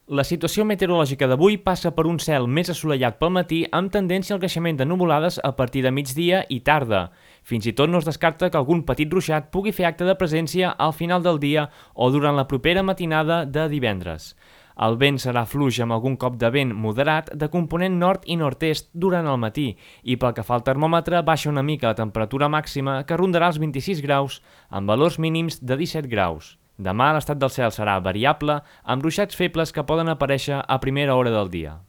La situació meteorològica d'avui passa per un cel més assolellat pel matí amb tendència al creixement de nuvolades a partir de migdia i tarda. Fins i tot no es descarta que algun petit ruixat pugui fer acte de presència al final del dia o durant la propera matinada de divendres. El vent serà fluix amb algun cop de vent moderat de component nord i nord-est durant el matí i pel que fa al termòmetre baixa una mica la temperatura màxima que rondarà els 26 graus amb valors mínims de 17 graus. Demà l'estat del cel serà variable amb ruixats febles que poden aparèixer a primera hora del dia.